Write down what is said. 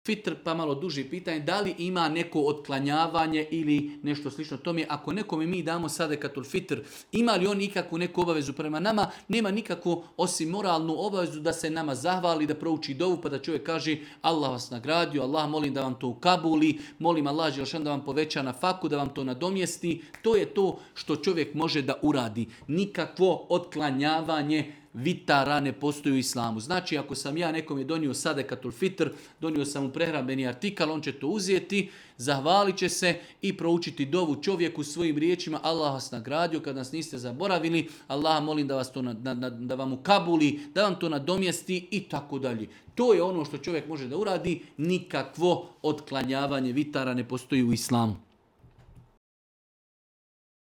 fitr, pa malo duže pitanje, da li ima neko otklanjavanje ili nešto slično tome. Ako nekome mi damo sadekatul fitr, ima li on ikakvu neku obavezu prema nama? Nema nikakvu osim moralnu obavezu da se nama zahvali, da prouči dovu, pa da čovjek kaže Allah vas nagradio, Allah molim da vam to ukabuli, molim Allah Đelešan da vam poveća na faku, da vam to nadomjesti. To je to što čovjek može da uradi. Nikakvo otklanjavanje vitara ne postoji u islamu. Znači, ako sam ja nekome donio sadekatul fitr, donio sam mu prehrambeni artikal, on će to uzeti, zahvalit će se i proučiti dovu čovjeku svojim riječima. Allah vas nagradio kad nas niste zaboravili. Allah molim da vas to da vam ukabuli, da vam to nadomjesti i tako dalje. To je ono što čovjek može da uradi. Nikakvo otklanjavanje vitara ne postoji u islamu.